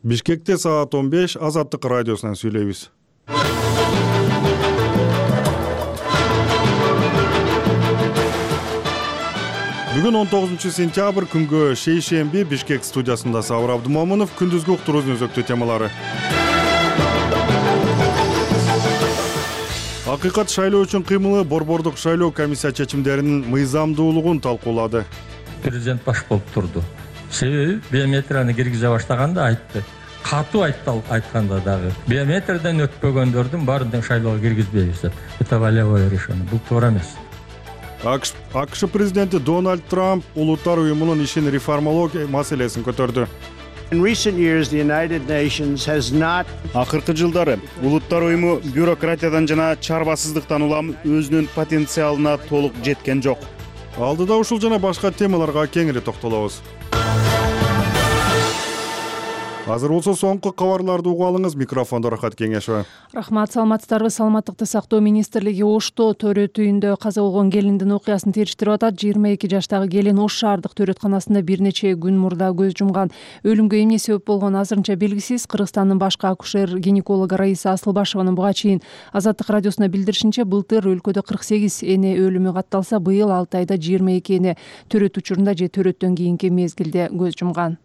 Бишкекте саат 15 Азаттык радиосунан сүйлөйбүз. Бүгүн 19-сентябрь күнгө шейшемби Бишкек студиясында Сабыр Абдымомунов, күндүзгү уктуруубуздун өзөктүү темалары. Акыйкат шайлоо үчүн кыймылы борбордук шайлоо комиссия чечимдеринин мыйзамдуулугун талкуулады. Президент баш болуп турду. Себеби биометрияны киргизе баштаганда айтты. Катуу айтканда дагы биометриядан өтпөгөндөрдүн баарын шайлоого киргизбейбиз деп. Это волевое решение. Бул туура эмес. АКШ президенти Дональд Трамп улуттар уюмунун ишин реформалоо маселесин көтөрдү. Акыркы жылдары улуттар уюму бюрократиядан жана чарбасыздыктан улам өзүнүн потенциалына толук жеткен жок. Алдыда ушул жана башка темаларга кеңири токтолобуз. Азыр болсо соңку кабарларды угуп алыңыз. Микрофондо Рахат Кеңешова. Рахмат, саламатсыздарбы. Саламаттыкты сактоо министрлиги Ошто төрөт үйүндө каза болгон келиндин окуясын териштирип атат. 22 жаштагы келин Ош шаардык төрөтканасында бир нече күн мурда көз жумган. Өлүмгө эмне себеп болгону азырынча белгисиз. Кыргызстандын башкы акушер-гинекологу Раиса Асылбашеванын буга чейин Азаттык радиосуна билдиришинче, былтыр өлкөдө 48 эне өлүмү катталса, быйыл 6 айда 22 эне төрөт учурунда же төрөттөн кийинки мезгилде көз жумган.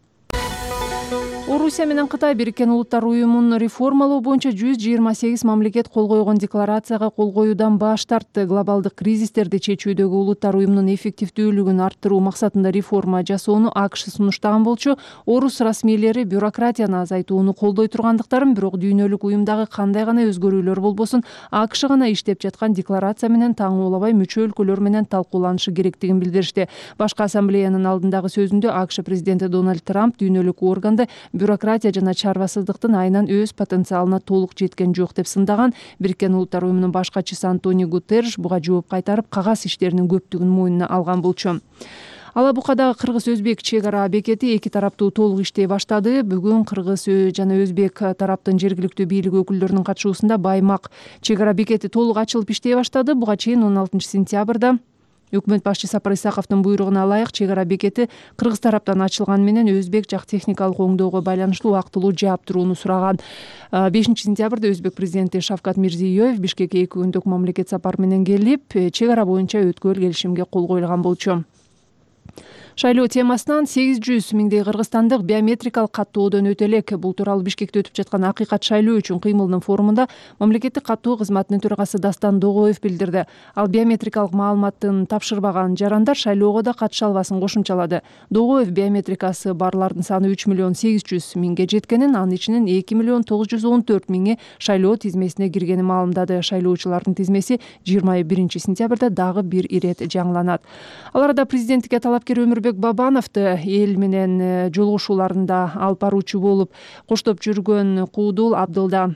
Орусия менен Кытай Бириккен Улуттар уюмун реформалоо боюнча 128 мамлекет кол койгон декларацияга кол коюудан баш тартты. Глобалдык кризистерди чечүүдөгү Улуттар уюмунун эффективдүүлүгүн арттыруу максатында реформа жасоону АКШ сунуштаган болчу. Орус расмийлери бюрократияны азайтууну колдой тургандыктарын, бирок дүйнөлүк уюмдагы кандай гана өзгөрүүлөр болбосун, АКШ гана иштеп жаткан декларация менен таң улабай мүчө өлкөлөр менен талкууланышы керектигин билдиришти. Башкы ассамблеянын алдындагы сөзүндө АКШ президенти Дональд Трамп дүйнөлүк органды бюрократия жана чарбасыздыктын айынан өз потенциалына толук жеткен жок деп сындаган. Бириккен Улуттар уюмунун баш катчысы Антонио Гутерриш буга жооп кайтарып, кагаз иштеринин көптүгүн мойнуна алган болчу. Алабукадагы кыргыз-өзбек чек ара бекети эки тараптуу толук иштей баштады. Бүгүн кыргыз жана өзбек тараптын жергиликтүү бийлик өкүлдөрүнүн катышуусунда Баймак чек ара бекети толук ачылып иштей баштады. Буга чейин 16-сентябрда Өкмөт башчы Сапар Исаковдун буйругуна ылайык чек ара бекети кыргыз тараптан ачылган менен өзбек жак техникалык оңдоого байланыштуу убактылуу жаап турууну сураган. 5-сентябрда өзбек президенти Шавкат Мирзиёев Бишкекке 2 күндүк мамлекет сапары менен келип, чек ара боюнча өткөл келишимге кол коюлган болчу. Шайлоо темасынан 800 миңдей кыргызстандык биометрикалык каттоодон өтө элек. Бул тууралуу Бишкекте өтүп жаткан акыйкат шайлоо үчүн кыймылдын форумунда мамлекеттик каттоо кызматынын төрагасы Дастан Догоев билдирди. Ал биометрикалык маалыматын тапшырбаган жарандар шайлоого да катыша албасын кошумчалады. Догоев биометрикасы барлардын саны 3 миллион 800 миңге жеткенин, анын ичинен 2 миллион 914 миңи шайлоо тизмесине киргенин маалымдады. Шайлоочулардын тизмеси 21-сентябрда дагы бир ирет жаңыланат. Ал арада президенттикке талапкер Бабановду эл менен жолугушууларында алып баруучу болуп коштоп жүргөн Куудул Абдылда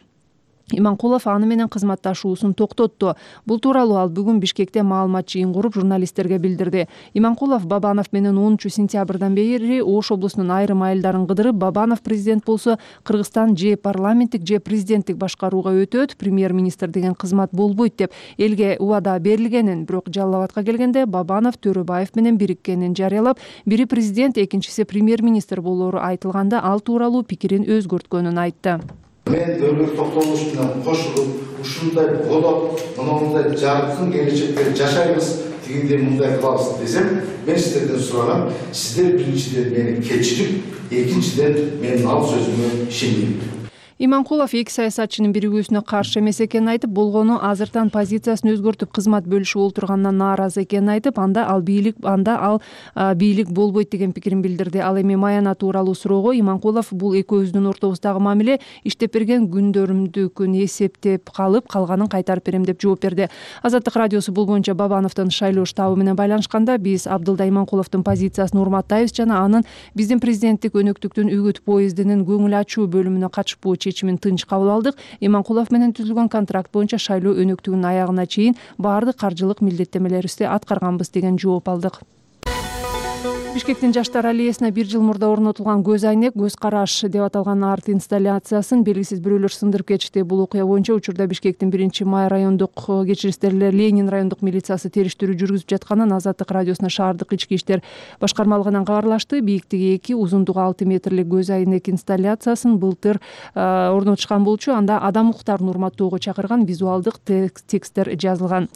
Иманкулов аны менен кызматташуусун токтотту. Бул тууралуу ал бүгүн Бишкекте маалымат жыйын куруп журналисттерге билдирди. Иманкулов Бабанов менен 10-сентябрдан бери Ош облусунун айрым айылдарын кыдырып, Бабанов президент болсо Кыргызстан же парламенттик же президенттик башкарууга өтөт, премьер-министр деген кызмат болбойт деп элге убада берилгенин, бирок Жалал Абадка келгенде Бабанов Төрөбаев менен бириккенин жарыялап, бири президент, экинчиси премьер-министр болору айтылганда ал тууралуу пикирин өзгөрткөнүн айтты. Мен дөөлүк токтолуш менен кошулуп, ушундай болот, мындай жаркын келечекте жашайбыз, тигиндей мындай кылабыз десем, мен сиздерден сураган, сиздер биринчиден мени кечирип, экинчиден менин ал сөзүмө ишениңиз. Иманкулов эки саясатчынын биригүүсүнө каршы эмес экенин айтып, болгону азыртан позициясын өзгөртүп кызмат бөлүшүп олтургандан нааразы экенин айтып, анда ал бийлик болбойт деген пикирин билдирди. Ал эми Маяна тууралуу суроого Иманкулов бул экөөбүздүн ортобуздагы мамиле, иштеп берген күндөрүмдүкүн эсептеп калып, калганын кайтарып берем деп жооп берди. Азаттык радиосу бул боюнча Бабановдун шайлоо штабы менен байланышканда, биз Абдылда Иманкуловдун позициясын урматтайбыз жана анын биздин президенттик өнөктүктүн үгүт поездинин көңүл ачуу бөлүмүнө катышпоо чечимин тынч кабыл алдык. Иманкулов менен түзүлгөн контракт боюнча шайлоо өнөктүгүнүн аягына чейин баардык каржылык милдеттемелерибизди аткарганбыз деген жооп алдык. Бишкектин Жаштар аллеясына 1 жыл мурда орнотулган көз айнек, көз караш деп аталган арт инсталляциясын белгисиз бирөөлөр сындырып кетишти. Бул окуя боюнча учурда Бишкектин 1-май райондук кечиристерлер Ленин райондук милициясы териштирүү жүргүзүп жатканын Азаттык радиосуна шаардык ички иштер башкармалыгынан кабарлашты. Бийиктиги 2, узундугу 6 метрлик көз айнек инсталляциясын былтыр орнотушкан болчу. Анда адам укуктарын урматтоого чакырган визуалдык тексттер жазылган.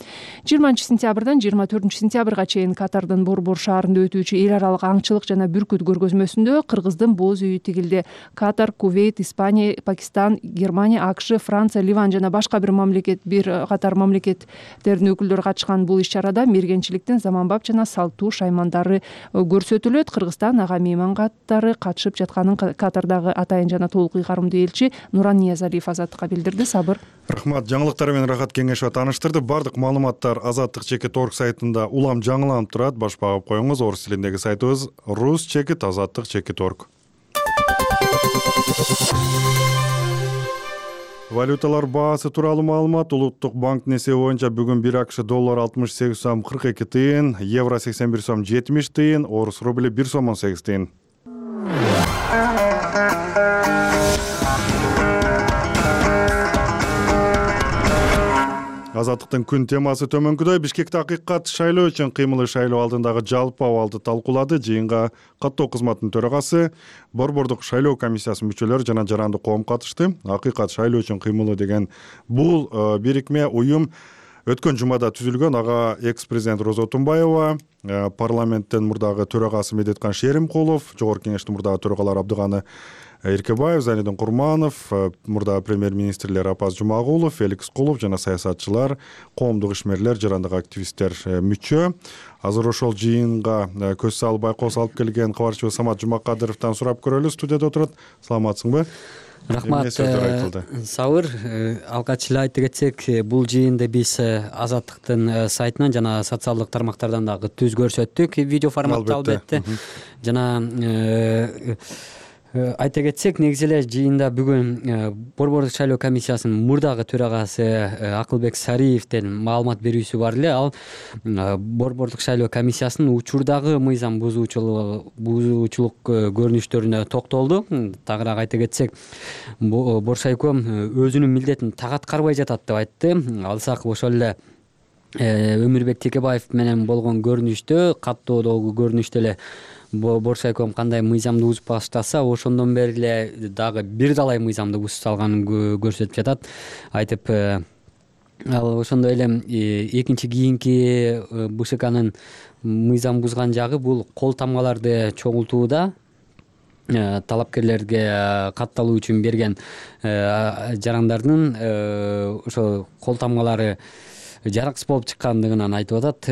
20-сентябрдан 24-сентябрга чейин Катардын Борбор шаарында өтүүчү эл аралык аңчылык жана бүркүт көргөзмөсүндө кыргыздын боз үйү тигилди. Катар, Кувейт, Испания, Пакистан, Германия, АКШ, Франция, Ливан жана башка бир катар мамлекеттердин өкүлдөрү катышкан бул иш-чарада мергенчиликтин заманбап жана салттуу шаймандары көрсөтүлөт. Кыргызстан ага мейман каттары катышып жатканын Катардагы атайын жана толук ыйгарымдуу элчи Нуран Ниязалиев Азаттыкка билдирди. Сабыр. Рахмат. Жаңылыктар менен Рахат Кеңешова тааныштырды. Бардык маалыматтар Азаттык.org сайтында улам жаңыланып турат. Баш багып коюңуз. Орус тилиндеги сайтыбыз rus.azattik.org. Валюталар баасы тууралуу маалымат. Улуттук банктын эсеби боюнча бүгүн 1 АКШ доллар 68 сом 42 тыйын, евро 81 сом 70 тыйын, орус рубли 1 сом 18 тыйын. Азаттыктын күн темасы төмөнкүдөй. Бишкекте акыйкат шайлоо үчүн кыймылы шайлоо алдындагы жалпы абалды талкуулады. Жыйынга каттоо кызматынын төрагасы, Борбордук шайлоо комиссиясынын мүчөлөрү жана жарандык коом катышты. Акыйкат шайлоо үчүн кыймылы деген бул бирикме уюм өткөн жумада түзүлгөн. Ага экс-президент Роза Отунбаева, парламенттин мурдагы төрагасы Медеткан Шеримкулов, жогорку кеңештин мурдагы төрагалары Абдыганы Эркебаев, Занидин Курманов, мурда премьер-министрлер Апаз Жумагулов, Феликс Кулов жана саясатчылар, коомдук ишмерлер, жарандык активисттер мүчө. Азыр ошол жыйынга көз салып байкоос алып келген кабарчыбыз Самат Жумакадыровдон сурап көрөлү. Студияда отурат. Саламатсыңбы? Рахмат. Сабыр. Алгач эле айта кетсек, бул жыйынды биз Азаттыктын сайтынан жана социалдык тармактардан дагы түз көрсөттүк видео форматта, албетте. Жана айта кетсек, негизи эле жыйында бүгүн Борбордук шайлоо комиссиясынын мурдагы төрагасы Акылбек Сариевдин маалымат берүүсү бар эле. Ал Борбордук шайлоо комиссиясынын учурдагы мыйзам бузуучулук көрүнүштөрүнө токтолду. Тагыраак айта кетсек, Боршайком өзүнүн милдетин так аткарбай жатат деп айтты. Алсак ошол эле Өмүрбек Текебаев менен болгон көрүнүштө, каттоодогу көрүнүштө эле Боршайком кандай мыйзамды бузуп баштаса, ошондон бери эле дагы бир далай мыйзамды бузуп салганын көрсөтүп жатат. Айтып, ал ошондой эле экинчи кийинки БШКнын мыйзам бузган жагы бул кол тамгаларды чогултууда. Талапкерлерге катталуу үчүн берген жарандардын ошо кол тамгалары жараксыз болуп чыккандыгынан айтып атат.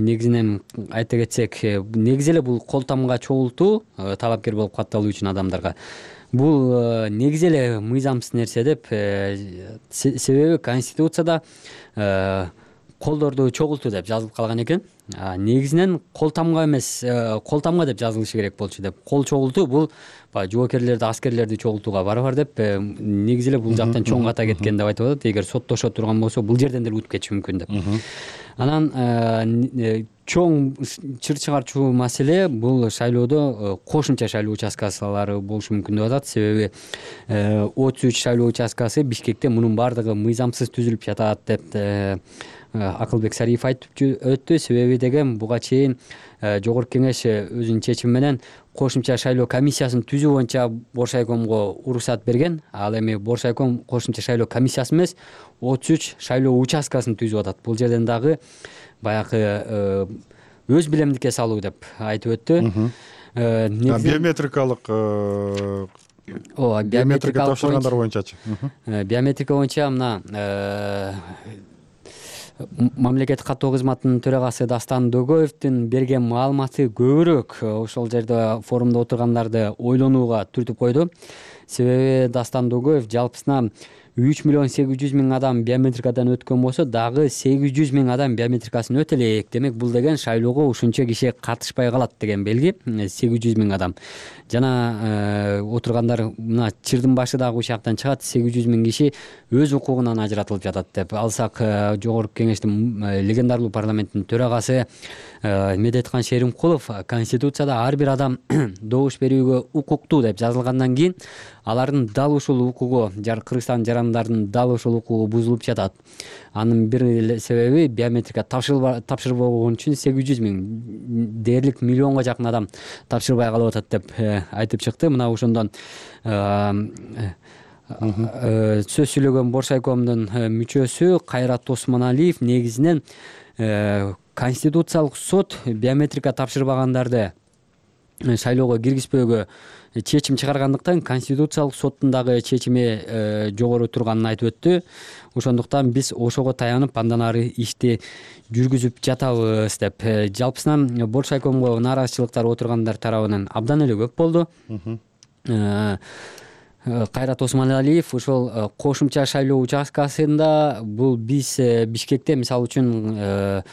Негизинен айта кетсек, негизи эле бул кол тамга чогултуу талапкер болуп катталуу үчүн адамдарга бул негизи эле мыйзамсыз нерсе деп, себеби Конституцияда колдорду чогултуу деп жазылып калган экен. Негизинен кол тамга эмес, кол тамга деп жазылышы керек болчу деп. Кол чогултуу бул жоокерлерди, аскерлерди чогултууга барабар деп, негизи эле бул жактан чоң ката кеткен деп айтып атат. Эгер соттошо турган болсо, бул жерден деле өтүп кетиши мүмкүн деп. Анан чоң чыр чыгарчу маселе бул шайлоодо кошумча шайлоо участкалары болушу мүмкүн деп атат. Себеби 33 шайлоо участкасы Бишкекте мунун бардыгы мыйзамсыз түзүлүп жатат деп Акылбек Сариев айтып өттү. Себеби деген, буга чейин жогорку кеңеш өзүнүн чечими менен кошумча шайлоо комиссиясын түзүү боюнча Боршайкомго уруксат берген. Ал эми Боршайком кошумча шайлоо комиссиясы эмес, 33 шайлоо участкасын түзүп атат. Бул жерден дагы баягы өз билемдикке салуу деп айтып өттү. Биометрикалык биометрика тапшыргандар боюнчачы. Биометрика боюнча мына мамлекеттик каттоо кызматынын төрагасы Дастан Дөгөевдин берген маалыматы көбүрөөк ошол жерде форумда отургандарды ойлонууга түртүп койду. Себеби Дастан Дөгөев жалпысынан 3.800.000 адам биометрикадан өткөн болсо дагы 800.000 адам биометрикасын өтө элек. Демек бул деген шайлоого ушунча киши катышпай калат деген белги. 800.000 адам. Жана отургандар мына чырдын башы дагы ушактан чыгат. 800.000 киши өз укугунан ажыратылып жатат деп алсак, жогорку кеңештин легендарлуу парламенттин төрагасы Медеткан Шеримкулов Конституцияда ар бир адам добуш берүүгө укуктуу деп жазылгандан кийин алардын дал ушул укугу, Кыргызстан жарандардын дал ушул укугу бузулуп жатат. Анын бир себеби биометрика тапшырбаган үчүн 800.000 дээрлик миллионго жакын адам тапшырбай калып атат деп айтып чыкты. Мына ошондон сөз сүйлөгөн Боршайкомдун мүчөсү Кайрат Осмоналиев негизинен Конституциялык сот биометрика тапшырбагандарды шайлоого киргизбөөгө чечим чыгаргандыктан Конституциялык соттун дагы чечими жогору турганын айтып өттү. Ошондуктан биз ошого таянып андан ары ишти жүргүзүп жатабыз деп. Жалпысынан Боршайкомго нааразычылыктар отургандар тарабынан абдан эле көп болду. Кайрат Осмоналиев ошол кошумча шайлоо участкасында бул биз Бишкекте мисалы үчүн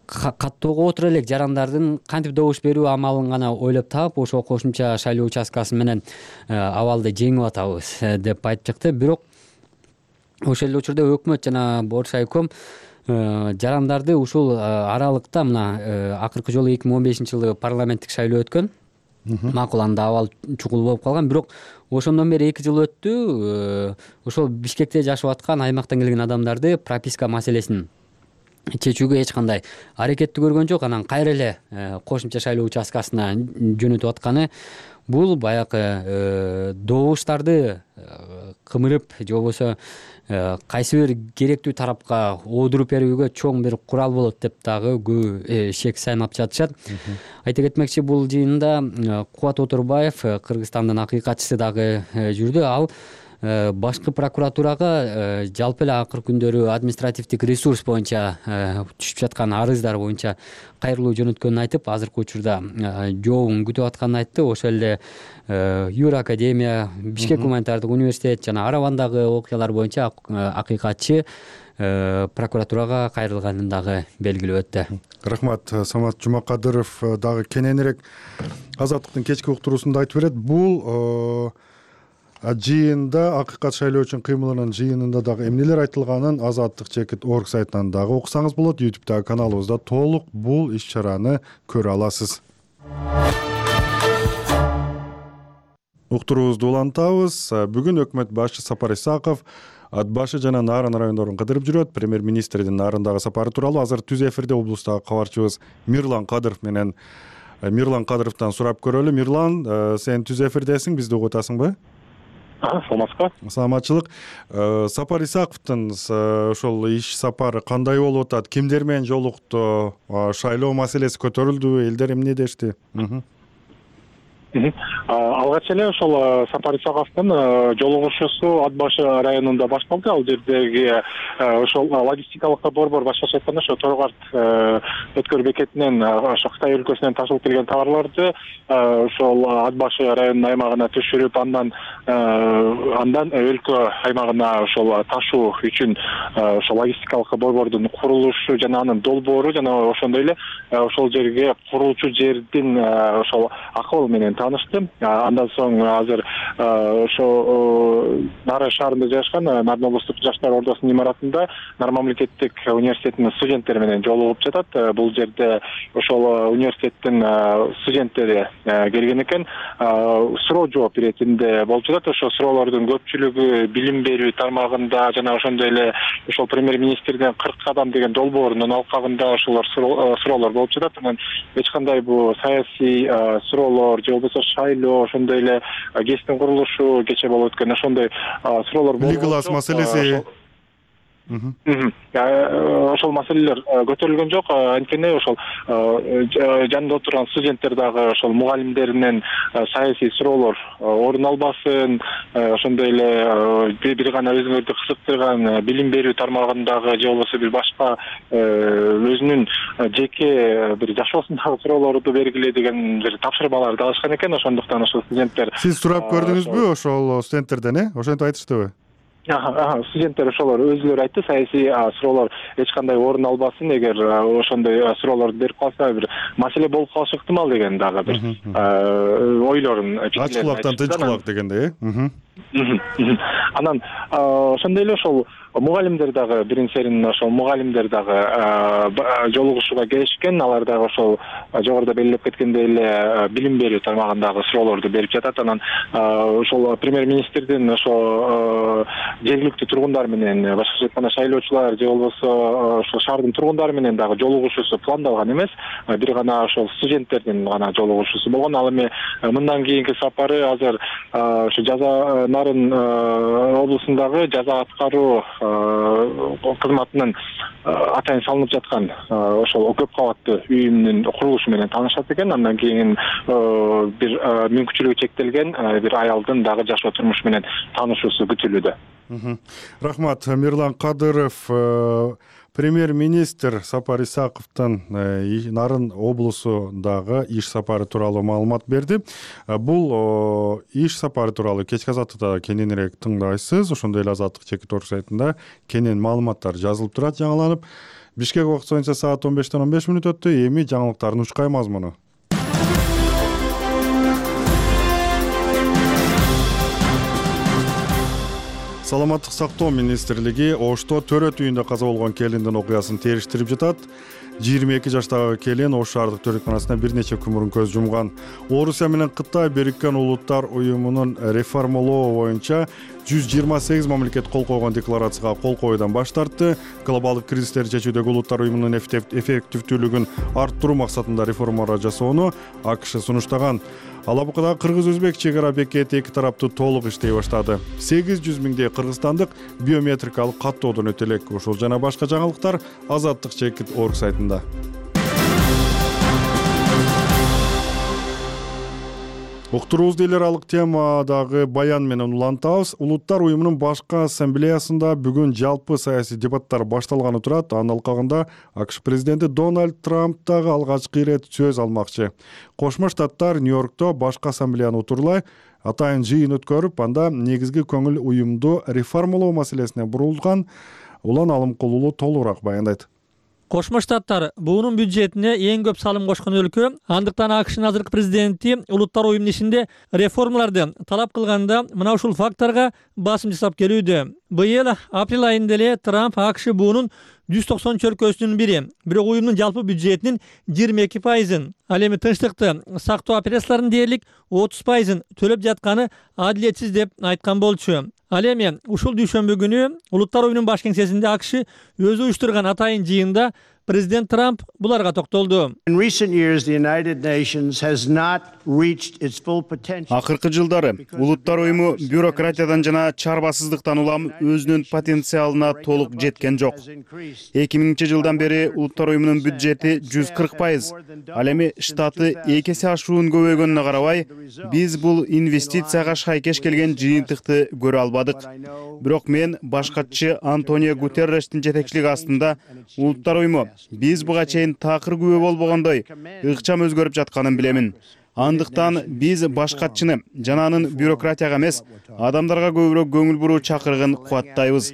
каттоого отура элек жарандардын кантип добуш берүү амалын гана ойлоп таап, ошол кошумча шайлоо участкасы менен абалды жеңип атабыз деп айтып чыкты. Бирок ошол эле учурда өкмөт жана Боршайком жарандарды ушул аралыкта мына акыркы жолу 2015-жылы парламенттик шайлоо өткөн. Макул, анда абал чукул болуп калган, бирок ошондон бери 2 жыл өттү. Ошол Бишкекте жашап аткан аймактан келген адамдарды прописка маселесин чечүүгө эч кандай аракетти көргөн жок. Анан кайра эле кошумча шайлоо участкасына жөнөтүп атканы бул баягы добуштарды кымырып же болбосо кайсы бир керектүү тарапка оодуруп берүүгө чоң бир курал болот деп дагы көп шек сайнап жатышат. Айта кетмекчи, бул жыйында Кубат Отурбаев, Кыргызстандын акыйкатчысы дагы жүрдү. Ал башкы прокуратурага жалпы эле акыркы күндөрү административдик ресурс боюнча түшүп жаткан арыздар боюнча кайрылуу жөнөткөнүн айтып, азыркы учурда жообун күтүп атканын айтты. Ошол эле Юра Академия, Бишкек гуманитардык университет жана Аравандагы окуялар боюнча акыйкатчы прокуратурага кайрылганын дагы белгилеп өттү. Рахмат. Самат Жумакадыров дагы кененирээк Азаттыктын кечки уктуруусунда айтып берет. Бул жыйында акыйкат шайлоо үчүн кыймылынын жыйынында дагы эмнелер айтылганын Азаттык.org сайтынан дагы окусаңыз болот. YouTube'дагы каналыбызда толук бул иш-чараны көрө аласыз. Уктуруубузду улантабыз. Бүгүн өкмөт башчы Сапар Исаков Ат башы жана Нарын райондорун кыдырып жүрөт. Премьер-министрдин Нарындагы сапары тууралуу азыр түз эфирде облустагы кабарчыбыз Мирлан Кадыров менен Мирлан Кадыровдон сурап көрөлү. Мирлан, сен түз эфирдесиң, бизди угуп атасыңбы? Саламатсызбы? Саламатчылык. Сапар Исаковдун ошол иш сапары кандай болуп атат? Кимдер менен жолукту? Шайлоо маселеси көтөрүлдүбү? Элдер эмне дешти? Алгач эле ошол Сапар Исаковдун жолугушуусу Ат башы районунда башталды. Ал жердеги ошол логистикалык борбор, башкача айтканда ошо Торгарт өткөр бекетинен ошо Кытай өлкөсүнөн ташылып келген товарларды ошол Ат башы районунун аймагына түшүрүп, андан өлкө аймагына ошол ташуу үчүн ошол логистикалык борбордун курулушу жана анын долбоору жана ошондой эле ошол жерге курулчу жердин ошол акыбы менен таныштым. Андан соң азыр ошо Нары шаарында жайгашкан Нарын облустук жаштар ордосунун имаратында Нары мамлекеттик университетинин студенттери менен жолугуп жатат. Бул жерде ошол университеттин студенттери келген экен. Суроо жооп иретинде болуп жатат. Ошо суроолордун көпчүлүгү билим берүү тармагында жана ошондой эле ошол премьер-министрдин 40 кадам деген долбоорунун алкагында ошолор суроолор болуп жатат. Анан эч кандай бул саясий суроолор же болбосо шайлоо, ошондой эле ГЭСтин курулушу кечээ болуп өткөн ошондой суроолор болуп Лигалас маселеси ошол маселелер көтөрүлгөн жок. Анткени ошол жанында отурган студенттер дагы ошол мугалимдеринен саясий суроолор орун албасын, ошондой эле бир гана өзүңөрдү кызыктырган билим берүү тармагындагы же болбосо бир башка өзүнүн жеке бир жашоосундагы суроолорду бергиле деген бир тапшырмаларды алышкан экен. Ошондуктан ошол студенттер Сиз сурап көрдүңүзбү ошол студенттерден, ошентип айтыштыбы? Студенттер ошолор өзүлөрү айтты, саясий суроолор эч кандай орун албасын, эгер ошондой суроолорду берип калса бир маселе болуп калышы ыктымал деген дагы бир ойлорун, ач кулактан тынч кулак дегендей. Анан ошондой эле ошол мугалимдер дагы биринчерин ошол мугалимдер дагы жолугушууга келишкен, алар дагы ошол жогоруда белгилеп кеткендей эле билим берүү тармагындагы суроолорду берип жатат. Анан ошол премьер-министрдин ошо жергиликтүү тургундар менен, башкача айтканда шайлоочулар же болбосо ошол шаардын тургундары менен дагы жолугушуусу пландалган эмес, бир гана ошол студенттердин гана жолугушуусу болгон. Ал эми мындан кийинки сапары азыр ошо жаза Нарын облусундагы жаза аткаруу кызматынын атайын салынып жаткан ошол көп кабаттуу үйүмдүн курулушу менен таанышат экен. Андан кийин бир мүмкүнчүлүгү чектелген бир аялдын дагы жашоо турмушу менен таанышуусу күтүлүүдө. Рахмат. Мирлан Кадыров, премьер-министр Сапар Исаковдун Нарын облусундагы иш сапары тууралуу маалымат берди. Бул иш сапары тууралуу кечки азаттыкта кененирээк тыңдайсыз. Ошондой эле Азаттык чекит орг сайтында кенен маалыматтар жазылып турат, жаңыланып. Бишкек убакыты боюнча саат 15:15 өттү. Эми жаңылыктардын учкай мазмуну. Саламаттык сактоо министрлиги Ошто төрөт үйүндө каза болгон келиндин окуясын териштирип жатат. 22 жаштагы келин Ош шаардык төрөтканасына бир нече күн көз жумган. Орусия менен Кытай Бириккен Улуттар уюмунун реформалоо боюнча 128 мамлекет кол койгон декларацияга кол коюудан баш тартты. Глобалдык кризистерди чечүүдөгү Улуттар уюмунун эффективдүүлүгүн арттыруу максатында реформалар жасоону АКШ сунуштаган. Алабукада кыргыз-өзбек чек ара бекети эки тараптуу толук иштей баштады. 800 миңдей кыргызстандык биометрикалык каттоодон өтө элек. Ошол жана башка жаңылыктар Азаттык чекит орг сайтында. Уктуруубузду эл аралык темадагы баян менен улантабыз. Улуттар уюмунун башкы ассамблеясында бүгүн жалпы саясий дебаттар башталганы турат. Анын алкагында АКШ президенти Дональд Трамп дагы алгачкы ирет сөз алмакчы. Кошмо Штаттар Нью-Йоркто башкы ассамблеяны утурлай атайын жыйын өткөрүп, анда негизги көңүл уюмду реформалоо маселесине бурулган. Улан Алымкулуулу толугураак баяндайт. Кошмо Штаттар буунун бюджетине эң көп салым кошкон өлкө. Андыктан АКШнын азыркы президенти Улуттар уюмунун ишинде реформаларды талап кылганда мына ушул факторго басым жасап келүүдө. Быйыл апрель айында эле Трамп АКШ буунун 190 өлкөсүнүн бири, бирок уюмдун жалпы бюджетинин 22%, ал эми тынчтыкты сактоо операцияларынын дээрлик 30% төлөп жатканы адилетсиз деп айткан болчу. Ал эми ушул дүйшөмбү күнү Улуттар уюмунун баш кеңсесинде АКШ өзү уюштурган атайын жыйында президент Трамп буларга токтолду. Акыркы жылдары Улуттар уюму бюрократиядан жана чарбасыздыктан улам өзүнүн потенциалына толук жеткен жок. 2000 жылдан бери Улуттар уюмунун бюджети 140%. Ал эми штаты 2 эсе ашуун көбөйгөнүнө карабай, биз бул инвестицияга шайкеш келген жыйынтыкты көрө албадык. Бирок мен башкачы Антонио Гутеррештин жетекчилиги астында Улуттар уюму биз буга чейин такыр күбө болбогондой ыкчам өзгөрүп жатканын билемин. Андыктан биз башкачыны жана анын бюрократияга эмес, адамдарга көбүрөөк көңүл буруу чакырыгын кубаттайбыз.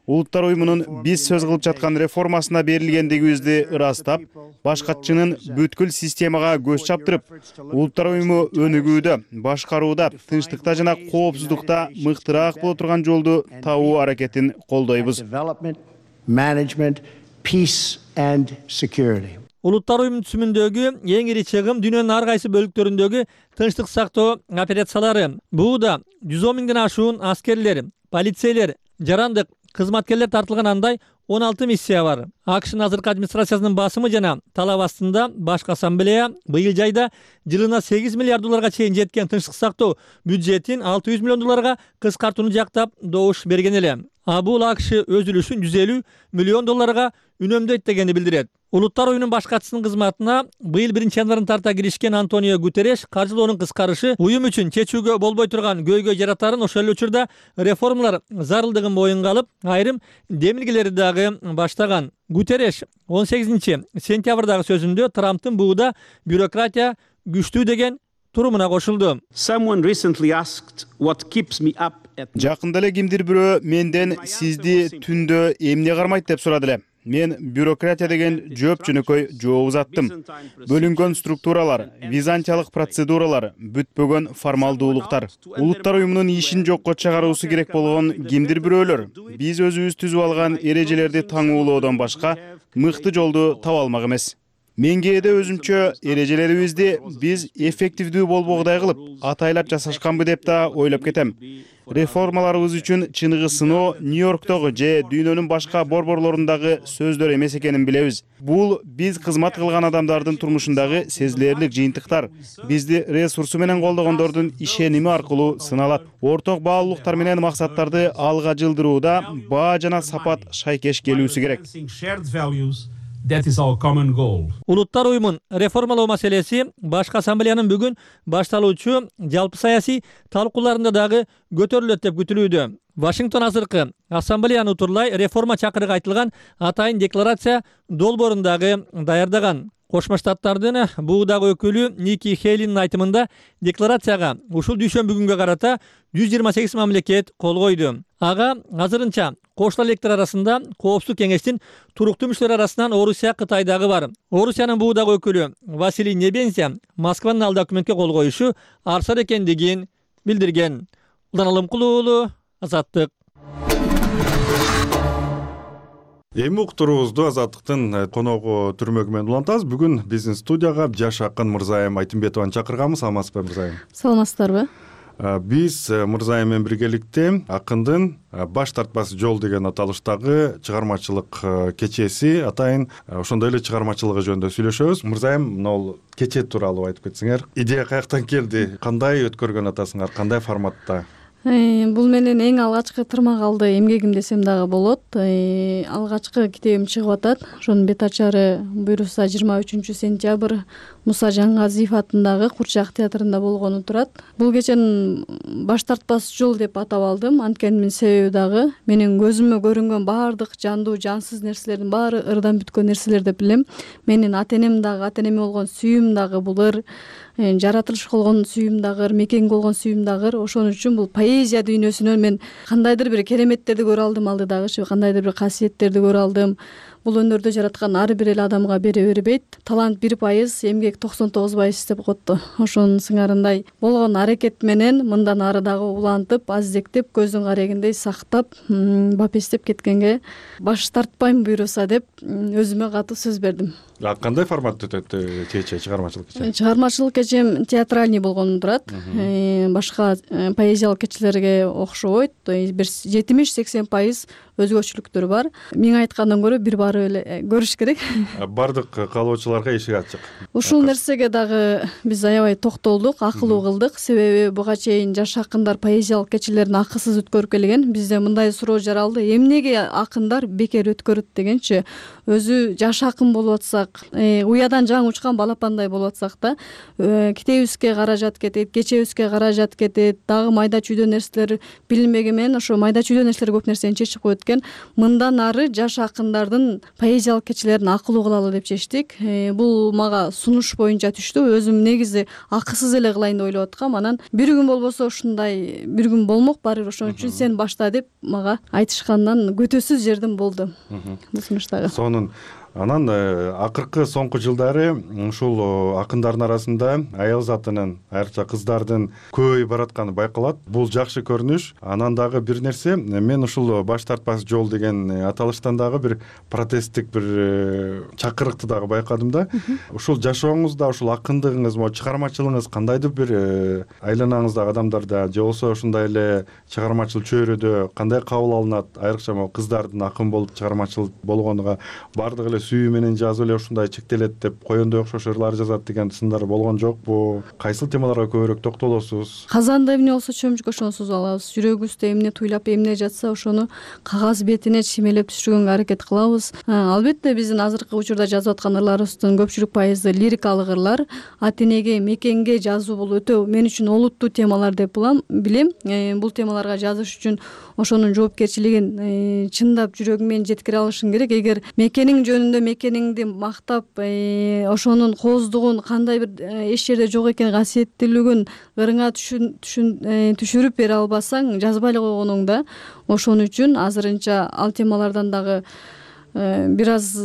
Улуттар уюмунун биз сөз кылып жаткан реформасына берилгендигибизди ырастап, башкачынын бүткүл системага көз чаптырып, Улуттар уюму өнүгүүдө, башкарууда, тынчтыкта жана коопсуздукта мыктыраак боло турган жолду табуу аракетин колдойбуз. Peace and security. Улуттар уюмунун түзүмүндөгү эң ири чыгым дүйнөнүн ар кайсы бөлүктөрүндөгү тынчтык сактоо операциялары. Бууда 110 миңден ашуун аскерлер, полицейлер, жарандык кызматкерлер тартылган андай 16 миссия бар. АКШнын азыркы администрациясынын басымы жана талап астында башкы ассамблея быйыл жайда жылына 8 миллиард долларга чейин жеткен тынчтык сактоо бюджетин 600 миллион долларга кыскартууну жактап добуш берген эле. Бул АКШ өз үлүшүн 150 миллион долларга үнөмдөйт дегенди билдирет. Улуттар уюмунун башкачысынын кызматына быйыл 1-январдан тарта киришкен Антонио Гутерреш каржылоонун кыскарышы уюм үчүн чечүүгө болбой турган көйгөй жаратарын, ошол эле учурда реформалар зарылдыгын моюнга алып, айрым демилгелерди дагы баштаган. Гутерреш 18 сентябрдагы сөзүндө Трамптын бууда бюрократия күчтүү деген турумуна кошулду. Someone recently asked what keeps me up Жакында эле кимдир бирөө менден сизди түндө эмне кармайт деп сурады эле. Мен бюрократия деген жооп жөнөкөй жооп узаттым. Бөлүнгөн структуралар, византиялык процедуралар, бүтпөгөн формалдуулуктар. Улуттар уюмунун ишин жокко чыгаруусу керек болгон кимдир бирөөлөр биз өзүбүз түзүп алган эрежелерди таңуулоодон башка мыкты жолду таба алмак эмес. Мен кээде өзүмчө эрежелерибизди биз эффективдүү болбогудай кылып, атайлап жасашканбы деп да ойлоп кетем. Реформаларыбыз үчүн чыныгы сыноо Нью-Йорктогу же дүйнөнүн башка борборлорундагы сөздөр эмес экенин билебиз. Бул биз кызмат кылган адамдардын турмушундагы сезилерлик жыйынтыктар. Бизди ресурсу менен колдогондордун ишеними аркылуу сыналат. Орток баалуулуктар менен максаттарды алга жылдырууда баа жана сапат шайкеш келүүсү керек. That is our common goal. Улуттар уюмун реформалоо маселеси башкы ассамблеянын бүгүн башталуучу жалпы саясий талкууларында дагы көтөрүлөт деп күтүлүүдө. Вашингтон азыркы ассамблеяны утурлай реформа чакырыгы айтылган атайын декларация долбоорун дагы даярдаган. Кошмо Штаттардын буудагы өкүлү Ники Хейлинин айтымында декларацияга ушул дүйшөмбү күнгө карата 128 мамлекет кол койду. Ага азырынча кошмо электер арасында Коопсуздук кеңештин туруктуу мүчөлөрү арасынан Орусия, Кытай дагы бар. Орусиянын буудагы өкүлү Василий Небензя Москванын ал документке кол коюшу арсар экендигин билдирген. Улан Алымкулуу уулу, Азаттык. Эми уктуруубузду Азаттыктын коногу Түрмөгү менен улантабыз. Бүгүн биздин студияга жаш акын Мырзайым Айтымбетованы чакырганбыз. Саламатсызбы Мырзайым? Саламатсыздарбы? Биз Мырзайым менен биргеликте акындын баш тартпас жол деген аталыштагы чыгармачылык кечеси атайын ошондой эле чыгармачылыгы жөнүндө сүйлөшөбүз. Мырзайым, мына кече тууралуу айтып кетсеңер. Идея каяктан келди? Кандай өткөргөн атасыңар? Кандай форматта? Бул менен эң алгачкы тырмак алды эмгегим десем дагы болот. Алгачкы китебим чыгып атат. Ошонун бет ачары буйруса 23-сентябрь Муса Жаңгазиев атындагы Курчак театрында болгону турат. Бул кеченин баш тартпас жол деп атап алдым. Анткени себеби дагы менин көзүмө көрүнгөн баардык жандуу, жансыз нерселердин баары ырдан бүткөн нерселер деп билем. Менин ата-энем дагы, ата-энеме болгон сүйүүм дагы бул ыр, жаратылыш болгон сүйүүм дагы ыр, мекенге болгон сүйүүм дагы ыр. Ошон үчүн бул поэзия дүйнөсүнөн мен кандайдыр бир кереметтерди көрө алдым алдыдагычы, кандайдыр бир касиеттерди көрө алдым. Бул өнөрдө жараткан ар бир эле адамга бере бербейт. Талант 1%, эмгек 99% деп коет. Ошонун сыңарындай болгон аракет менен мындан ары дагы улантып, азектеп, көздүн карегиндей сактап, бапестеп кеткенге баш тартпайм буйруса деп өзүмө катуу сөз бердим. Кандай форматта өтөт кече, чыгармачылык кече? Чыгармачылык кечем театральный болгону турат. Башка поэзиялык кечелерге окшобойт. Бир 70-80% өзгөчөлүктөр бар. Мен айткандан көрө бир барып эле көрүш керек. Бардык каалоочуларга эшик ачык. Ушул нерсеге дагы биз аябай токтолдук, акылуу кылдык. Себеби буга чейин жаш акындар поэзиялык кечелерин акысыз өткөрүп келген. Бизде мындай суроо жаралды: эмнеге акындар бекер өткөрөт дегенчи. Өзү жаш акын болуп атсак, уядан жаңы учкан балапандай болуп атсак да, китебибизге каражат кетет, кечебизге каражат кетет, дагы майда чүйдө нерселер билинбеген менен ошо майда чүйдө нерселер көп нерсени чечип коет экен. Мындан ары жаш акындардын поэзиялык кечелерин акылуу кылалы деп чечтик. Бул мага сунуш боюнча түштү. Өзүм негизи акысыз эле кылайын деп ойлоп аткам. Анан бир күн болбосо ушундай бир күн болмок барыбыр, ошон үчүн сен башта деп мага айтышкандан көтөсүз жердим болду. Бул сунуштагы. Анан акыркы соңку жылдары ушул акындардын арасында аял затынын, айрыкча кыздардын көбөйүп баратканы байкалат. Бул жакшы көрүнүш. Анан дагы бир нерсе, мен ушул баш тартпас жол деген аталыштан дагы бир протесттик бир чакырыкты дагы байкадым да. Ушул жашооңузда, ушул акындыгыңыз, чыгармачылыгыңыз кандайдыр бир айланаңыздагы адамдарда же болбосо ушундай эле чыгармачыл чөйрөдө кандай кабыл алынат? Айрыкча кыздардын акын болуп чыгармачыл болгонуга бардыгы эле сүйүү менен жазып эле ушундай чектелет деп коёндой окшош ырлар жазат деген сындар болгон жокпу? Кайсыл темаларга көбүрөөк токтолосуз? Казанда эмне болсо чөмүчкө ошону сузуп алабыз. Жүрөгүбүздө эмне туйлап, эмне жатса ошону кагаз бетине чимелеп түшүргөнгө аракет кылабыз. Албетте биздин азыркы учурда жазып аткан ырларыбыздын көпчүлүк пайызы лирикалык ырлар. Ата-энеге, мекенге жазуу бул өтө мен үчүн олуттуу темалар деп билем. Бул темаларга жазыш үчүн ошонун жоопкерчилигин чындап жүрөгүң менен жеткире алышың керек. Эгер мекениң жөнүндө көргөндө мекениңди мактап, ошонун кооздугун, кандай бир эч жерде жок экен касиеттүүлүгүн ырыңа түшүрүп бере албасаң, жазбай эле койгонуң да. Ошон үчүн азырынча ал темалардан дагы бир аз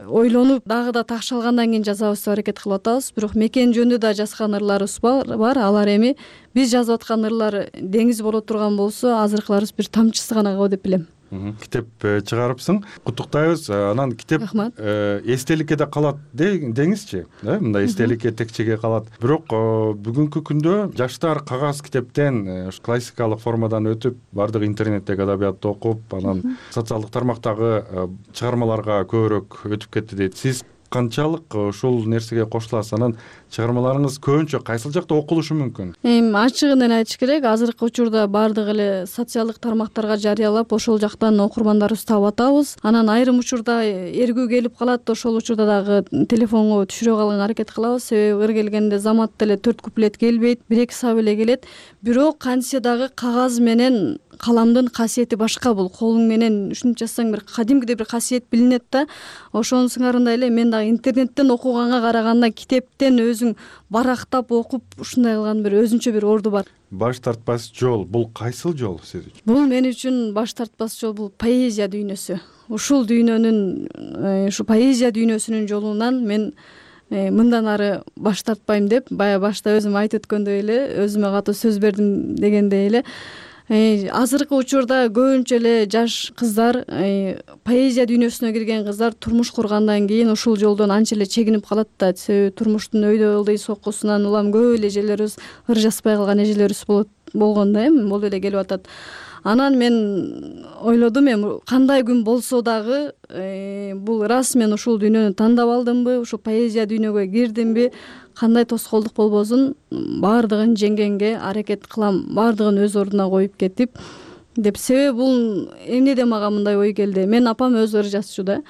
ойлонуп, дагы да такшалгандан кийин жазабыз деп аракет кылып атабыз. Бирок мекен жөнүндө да жазган ырларыбыз бар. Алар эми биз жазып аткан ырлар деңиз боло турган болсо, азыркыларыбыз бир тамчысы гана го деп билем. Китеп чыгарыпсың, куттуктайбыз. Анан китеп эстеликке да калат деңизчи, мындай эстеликке текчеге калат. Бирок бүгүнкү күндө жаштар кагаз китептен классикалык формадан өтүп, бардык интернеттеги адабиятты окуп, анан социалдык тармактагы чыгармаларга көбүрөөк өтүп кетти дейт. Сиз канчалык ушул нерсеге кошуласыз? Анан чыгармаларыңыз көбүнчө кайсыл жакта окулушу мүмкүн? Ачыгын эле айтыш керек, азыркы учурда баардык эле социалдык тармактарга жарыялап, ошол жактан окурмандарыбызды таап атабыз. Анан айрым учурда эргүү келип калат, ошол учурда дагы телефонго түшүрө калганга аракет кылабыз. Себеби ыр келгенде замат деле 4 куплет келбейт, 1-2 сап эле келет. Бирок кантсе дагы кагаз менен каламдын касиети башка. Бул колуң менен ушинтип жазсаң бир кадимкидей бир касиет билинет да. Ошонун сыңарындай эле мен дагы интернеттен окуганга караганда китептен өзүң барактап окуп ушундай кылган бир өзүнчө бир орду бар. Баш тартпас жол бул кайсыл жол сиз үчүн? Бул мен үчүн баш тартпас жол бул поэзия дүйнөсү. Ушул дүйнөнүн, ушу поэзия дүйнөсүнүн жолунан мен мындан ары баш тартпайм деп, бая башта өзүм айтып өткөндөй эле, өзүмө катуу сөз бердим дегендей эле. Азыркы учурда көбүнчө эле жаш кыздар, поэзия дүйнөсүнө кирген кыздар турмуш кургандан кийин ушул жолдон анча эле чегинип калат да. Себеби турмуштун өйдө ылдый соккусунан улам көп эле эжелерибиз ыр жазбай калган эжелерибиз болгон да, болуп эле келип атат. Анан мен ойлодум, кандай күн болсо дагы бул рас мен ушул дүйнөнү тандап алдымбы, ушул поэзия дүйнөгө кирдимби, кандай тоскоолдук болбосун баардыгын жеңгенге аракет кылам, баардыгын өз ордуна коюп кетип деп. Себеби бул эмнеде мага мындай ой келди. Мен апам өзү ыр жазчу да.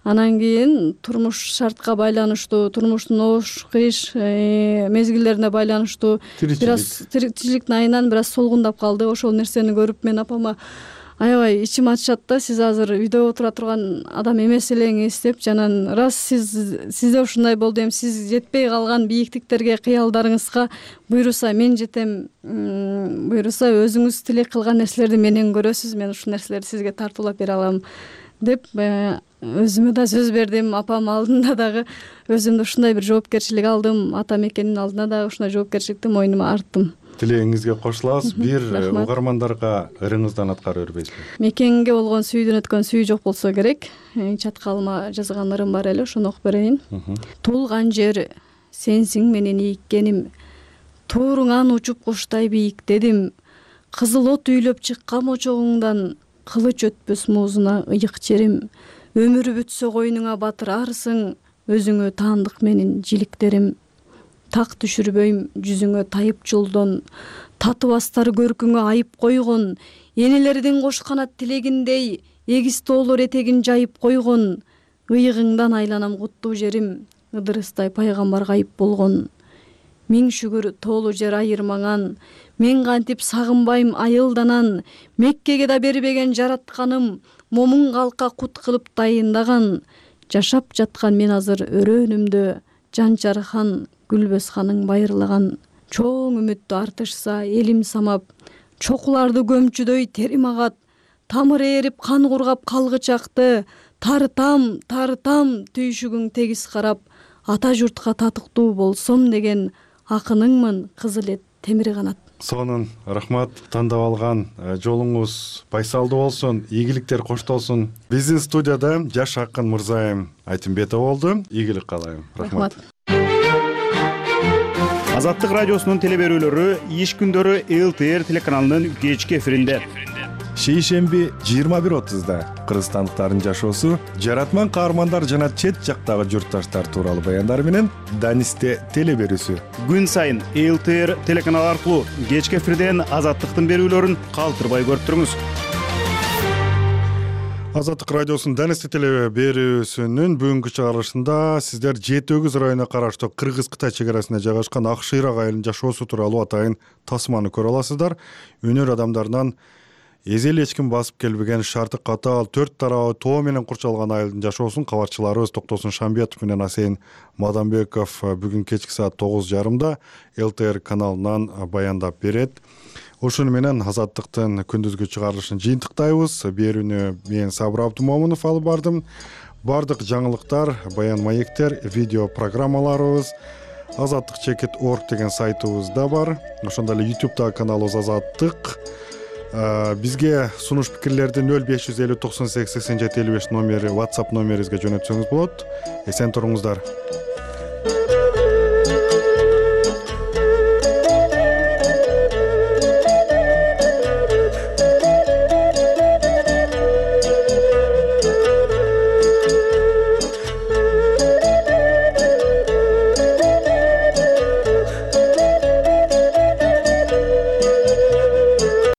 Анан кийин турмуш шартка байланыштуу, турмуштун оош кыйыш мезгилдерине байланыштуу бир аз тиричиликтин айынан бир аз солгундап калды. Ошол нерсени көрүп мен апама аябай ичим ачышат да, сиз азыр үйдө отура турган адам эмес элеңиз деп. Жанан рас сизде ушундай болду, эми сиз жетпей калган бийиктиктерге, кыялдарыңызга буйруса мен жетем, буйруса өзүңүз тилек кылган нерселерди менен көрөсүз, мен ушул нерселерди сизге тартуулап бере алам деп өзүмө да сөз бердим. Апам алдында дагы өзүмдү ушундай бир жоопкерчилик алдым, ата мекенин алдына дагы ушундай жоопкерчиликти мойнума арттым. Тилегиңизге кошулабыз. Бир угармандарга ырыңыздан аткарып бербейсизби? Мекенге болгон сүйүүдөн өткөн сүйүү жок болсо керек. Чаткалыма жазган ырым бар эле, ошону окуп берейин. Туулган жер сенсиң менен ийиккеним, тууруңан учуп куштай бийиктедим. Кызыл от үйлөп чыккан очогуңдан, кылыч өтпөс муузуна ыйык жерим. Өмүр бүтсө койнуңа батырарсың, өзүңө таандык менин жиликтерим. Так түшүрбөйм жүзүңө тайып жолдон, татыбастар көркүңө айып койгон, энелердин кош канат тилегиндей, эгиз тоолор этегин жайып койгон, ыйыгыңдан айланам куттуу жерим, Ыдырыстай пайгамбар кайып болгон. Миң шүгүр тоолу жер айырмаңан, мен кантип сагынбайм айылданан, Меккеге да бербеген жаратканым, момун калкка кут кылып дайындаган, жашап жаткан мен азыр өрөөнүмдө, Жанчархан Гүлбөзханың байырлаган. Чоң үмүттү артышса элим самап, чокуларды көмчүдөй терим агат, тамыры эрип кан кургап калгычакты, тартам түйшүгүң тегиз карап, ата журтка татыктуу болсом деген акыныңмын, кызыл эт темир канат. Сонун рахмат. Тандап алган жолуңуз байсалдуу болсун, ийгиликтер коштолсун. Биздин студияда жаш акын Мырзайым Айтымбетова болду. Ийгилик каалайм. Рахмат. Азаттык радиосунун теле берүүлөрү иш күндөрү ЛТР телеканалынын кечки эфиринде. Шейшемби 21:30 кыргызстандыктардын жашоосу, жаратман каармандар жана чет жактагы журтташтар тууралуу баяндар менен Данисте теле берүүсү. Күн сайын ЛТР телеканалы аркылуу кечки эфирден Азаттыктын берүүлөрүн калтырбай көрүп туруңуз. Азаттык радиосунун Данисте теле берүүсүнүн бүгүнкү чыгарылышында сиздер Жети Өгүз районуна караштуу Кыргыз-Кытай чек арасында жайгашкан Ак Шыйрак айылынын жашоосу тууралуу атайын тасманы көрө аласыздар. Өнөр адамдарынан эзи эле эч ким басып келбеген шарты катаал 4 тарабы тоо менен курчалган айылдын жашоосун кабарчыларыбыз Токтосун Шамбетов менен Асейин Мадамбеков бүгүн кечки саат 9:30 ЛТР каналынан баяндап берет. Ошону менен Азаттыктын күндүзгү чыгарылышын жыйынтыктайбыз. Берүүнү мен Сабыр Абдумомунов алып бардым. Бардык жаңылыктар, баян маектер, видео программаларыбыз azattik.org деген сайтыбызда бар. Ошондой эле YouTube'дагы каналыбыз Азаттык. Бизге сунуш пикирлерди 0550 98 87 55 номери WhatsApp номерибизге жөнөтсөңүз болот. Эсен туруңуздар.